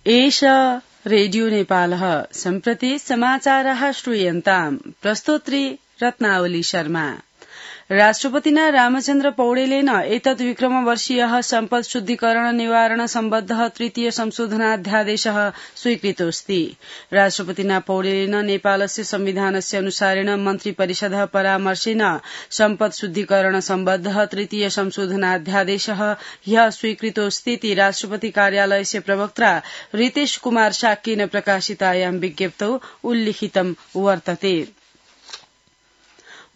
एष रेडियो नेपालः सम्प्रति समाचारः श्रूयन्ताम् प्रस्तोत्री रत्नावली शर्मा। राष्ट्रपतिना रामचन्द्र पौडेलेन एतत् विक्रमवर्षीयः सम्पद शुद्धिकरण निवारण सम्बद्धः तृतीय संशोधनाध्यादेशः स्वीकृतोऽस्ति। राष्ट्रपतिना पौडेलेन नेपालस्य संविधानस्य अनुसारेण मन्त्रिपरिषदः परामर्शेन सम्पद शुद्धिकरण सम्बद्धः तृतीय संशोधनाध्यादेशः ह्यः स्वीकृतोऽस्तीति राष्ट्रपति कार्यालयस्य प्रवक्ता रितेश कुमार शाक्येन प्रकाशितायां विज्ञप्तौ उल्लिखितं वर्तते।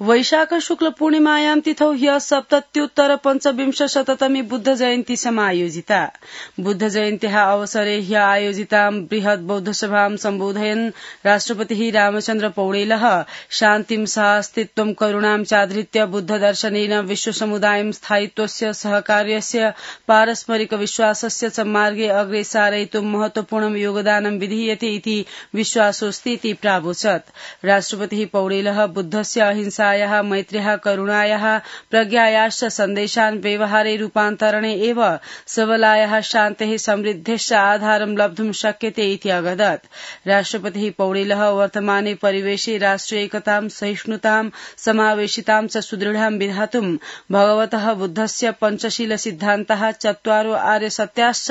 वैशाख शुक्ल पूर्णिमायां तिथौ ह्यः 77-पंचविंशशततमी बुद्ध जयन्ती समायोजिता। बुद्ध जयन्त्याः अवसरे ह्यः आयोजितां बृहत् बौद्धसभां सम्बोधयन् राष्ट्रपतिः रामचन्द्र पौडेलः शान्तिं साहस्तित्वं करुणां चाधृत्य बुद्धदर्शनेन विश्वसमुदायं स्थायित्वस्य सहकार्यस्य पारस्परिक विश्वासस्य च मार्गे अग्रे सारयितुं महत्वपूर्णं योगदानं विधीयते इति विश्वासोऽस्तीति प्रावोचत्। राष्ट्रपतिः पौडेलः बुद्धस्य अहिंसा मैत्र्याः करुणायाः प्रज्ञायाश्च सन्देशान् व्यवहारे रूपान्तरणे एव सबलायाः शान्तेः समृद्धेश्च आधारं लब्धुं शक्यते इति अगदत्। राष्ट्रपतिः पौडेलः वर्तमाने परिवेशे राष्ट्रियैकतां सहिष्णुतां समावेशितां च सुदृढां विधातुं भगवतः बुद्धस्य पञ्चशील सिद्धान्ताः 4 आर्यसत्याश्च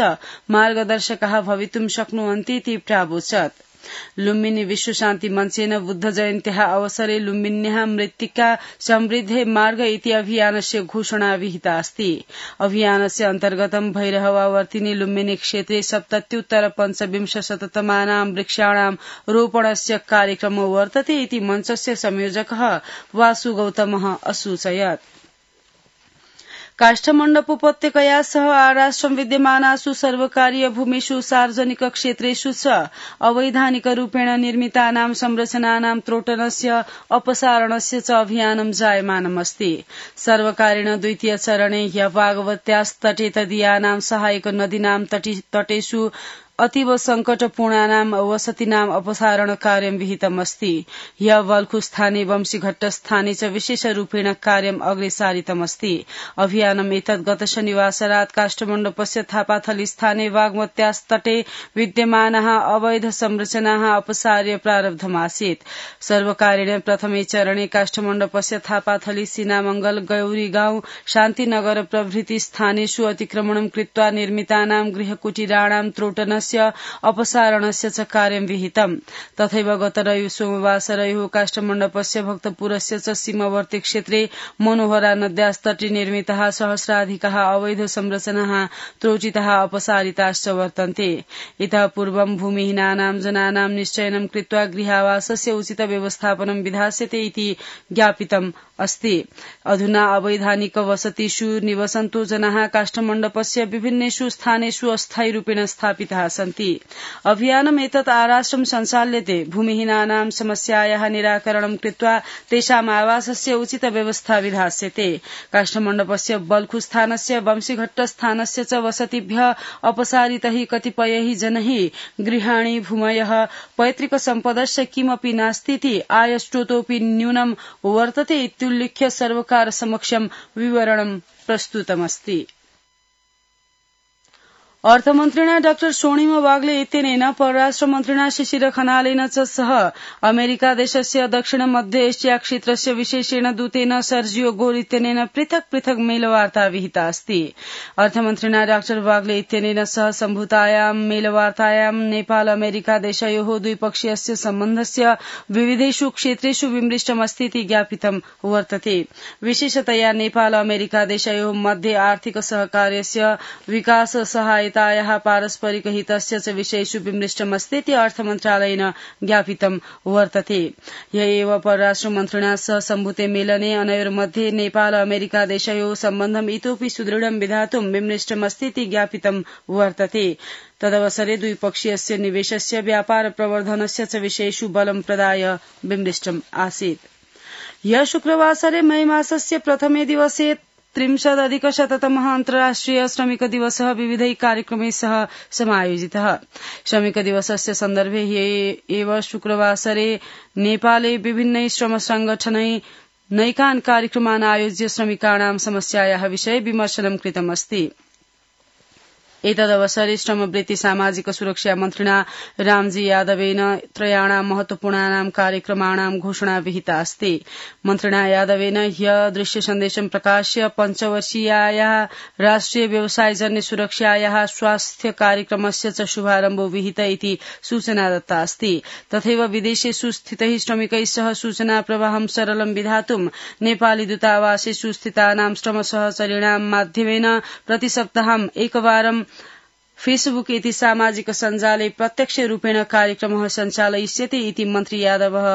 मार्गदर्शकाः भवितुं शक्नुवन्तीति प्रावोचत्। लुम्बिनी विश्वशान्ति मञ्चेन बुद्ध जयन्त्याः अवसरे लुम्बिन्याः मृत्तिका समृद्धे मार्ग इति अभियानस्य घोषणा विहिता अस्ति। अभियानस्य अन्तर्गतं भैरहवावर्तिनी लुम्बिनी क्षेत्रे 77-पंचविंशशततमानां वृक्षाणां रोपणस्य कार्यक्रमो वर्तते इति मञ्चस्य संयोजकः वासु गौतमः असूचयत्। काष्ठमण्डप उपत्यकया सह आराष्ट्रं विद्यमानासु सर्वकारीय भूमिषु सार्वजनिक क्षेत्रेषु च अवैधानिक रूपेण निर्मितानां संरचनानां त्रोटनस्य अपसारणस्य च अभियानं जायमानमस्ति। सर्वकारेण द्वितीय चरणे ह्यः भागवत्यास्तटे तदीयानां सहायक नदीनां तटेषु अतीव संकटपूर्णानां वसतीनां अपसारण कार्यं विहितमस्ति। ह्यः वल्खुस्थाने वंशीघट्टस्थाने च विशेषरूपेण कार्यम् अग्रे सारितमस्ति। अभियानम् एतत् गत शनिवासरात् काष्ठमण्डपस्य थापाथली स्थाने बागमत्यास्तटे विद्यमानाः अवैध संरचनाः अपसार्य प्रारब्धमासीत्। सर्वकारेण प्रथमे चरणे काष्ठमण्डपस्य थापाथली सीनामंगल गौरीगांव शान्तिनगर प्रभृति स्थानेषु अतिक्रमणं कृत्वा निर्मितानां गृहकुटीराणां त्रोटनस्य अपसारणस्य च कार्यं विहितम्। तथैव गत सोमवासरयोः काष्ठमण्डपस्य भक्तपुरस्य च सीमावर्ती क्षेत्रे मनोहरा नद्यास्तटे निर्मिताः सहस्राधिकाः अवैध संरचनाः त्रोटिताः अपसारिताश्च वर्तन्ते। इतः पूर्वं भूमिहीनानां जनानां निश्चयनं कृत्वा गृहावासस्य उचित व्यवस्थापनं विधास्यते इति ज्ञापितम् अस्ति। अधुना अवैधानिक वसतिषु निवसन्तो जनाः काष्ठमण्डपस्य विभिन्नेषु स्थानेषु अस्थायी रूपेण स्थापिताः सन्ति। अभियानम् एतत् आराष्ट्रं सञ्चाल्यते भूमिहीनानां समस्यायाः निराकरणं कृत्वा तेषाम् आवासस्य उचित व्यवस्था विधास्यते। काष्ठमण्डपस्य बल्खुस्थानस्य वंशीघट्टस्थानस्य च वसतिभ्यः अपसारितैः कतिपयैः जनैः गृहाणि भूमयः पैतृक सम्पदस्य किमपि नास्तीति आयस्रोतोऽपि न्यूनं वर्तते इत्युल्लिख्य सर्वकार समक्षं विवरणं प्रस्तुतमस्ति। अर्थमन्त्रिणा डॉ सोणिम वाग्ले इत्यनेन परराष्ट्रमन्त्रिणा शिशिर खनालेन च सह अमेरिकादेशस्य दक्षिण मध्य एशिया क्षेत्रस्य विशेषेण दूतेन सर्जियो गोर इत्यनेन पृथक् पृथक् मेलवार्ता विहिता अस्ति। अर्थमन्त्रिणा डॉ वाग्ले इत्यनेन सह सम्भूतायां मेलवार्तायां नेपाल अमेरिकादेशयोः द्विपक्षीयस्य सम्बन्धस्य विविधेषु क्षेत्रेषु विमृष्टमस्तीति ज्ञापितं वर्तते। विशेषतया नेपाल अमेरिकादेशयोः मध्ये आर्थिक सहकार्यस्य विकास सहायता पारस्परिक हितस्य च विषयेषु विमृष्टमस्तीति अर्थमन्त्रालयेन ज्ञापितं वर्तते। ह्य एव परराष्ट्रमन्त्रिणा सह सम्भूते मेलने अनयोर्मध्ये नेपाल अमेरिकादेशयोः सम्बन्धम् इतोऽपि सुदृढं विधातुं विमृष्टमस्तीति ज्ञापितं वर्तते। तदवसरे द्विपक्षीयस्य निवेशस्य व्यापार प्रवर्धनस्य च विषयेषु बलं प्रदाय विमृष्टम् आसीत्। ह्यः शुक्रवासरे मई मासस्य प्रथमे दिवसे 30-अधिकशततमः अन्तर्राष्ट्रिय श्रमिक दिवसः विविधैः कार्यक्रमैः सह समायोजितः। श्रमिक दिवसस्य सन्दर्भे एव शुक्रवासरे नेपाले विभिन्नैः श्रम संगठनैः नैकान् कार्यक्रमान् आयोज्य श्रमिकाणां समस्यायाः विषये विमर्शनं कृतमस्ति। एतदवसरे श्रमवृत्ति सामाजिक सुरक्षा मन्त्रिणा रामजी यादवेन त्रयाणां महत्वपूर्णानां कार्यक्रमाणां घोषणा विहिता अस्ति। मन्त्रिणा यादवेन ह्य दृश्य सन्देशं प्रकाश्य पञ्चवर्षीयायाः राष्ट्रिय व्यवसायजन्य सुरक्षायाः स्वास्थ्य कार्यक्रमस्य च शुभारम्भो विहित इति सूचना दत्ता अस्ति। तथैव विदेशेषु स्थितैः श्रमिकैः सह सूचना प्रवाहं सरलं विधातुं नेपाली दूतावासेषु स्थितानां श्रमसहचरीणां माध्यमेन प्रतिसप्ताहं एकवारं फेसबुक इति सामाजिक सञ्जाले प्रत्यक्ष रूपेण कार्यक्रमः सञ्चालयिष्यते इति मन्त्री यादवः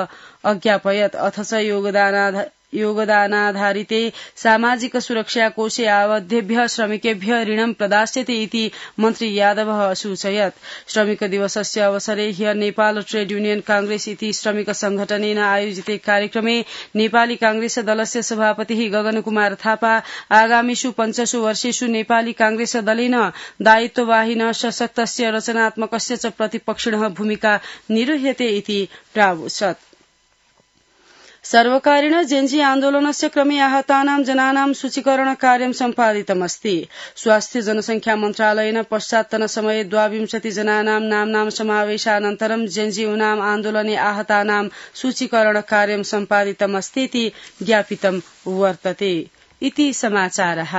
अज्ञापयत्। अथ च योगदानाधारिते सामाजिक सुरक्षा कोषे आबद्धेभ्यः श्रमिकेभ्यः ऋणं प्रदास्यते इति मन्त्री यादवः असूचयत्। श्रमिक दिवसस्य अवसरे ह्य नेपाल ट्रेड यूनियन कांग्रेस इति श्रमिक संघटनेन आयोजिते कार्यक्रमे नेपाली कांग्रेस दलस्य सभापतिः गगन कुमार थापा आगामीषु 5 वर्षेषु नेपाली कांग्रेस दलेन दायित्ववाहिनः सशक्तस्य रचनात्मकस्य च प्रतिपक्षिणः भूमिका निरूह्यते इति प्रावोचत्। सर्वकारेण जेन्जी आन्दोलनस्य क्रमे आहतानां जनानां सूचीकरण कार्यं सम्पादितमस्ति। स्वास्थ्य जनसंख्या मन्त्रालयेन पश्चात्तनसमये 22 जनानां नाम्नां समावेशानन्तरं जेन्जी उनाम आन्दोलने आहतानां सूचीकरण कार्यं सम्पादितमस्तीति ज्ञापितं वर्तते। इति समाचारः।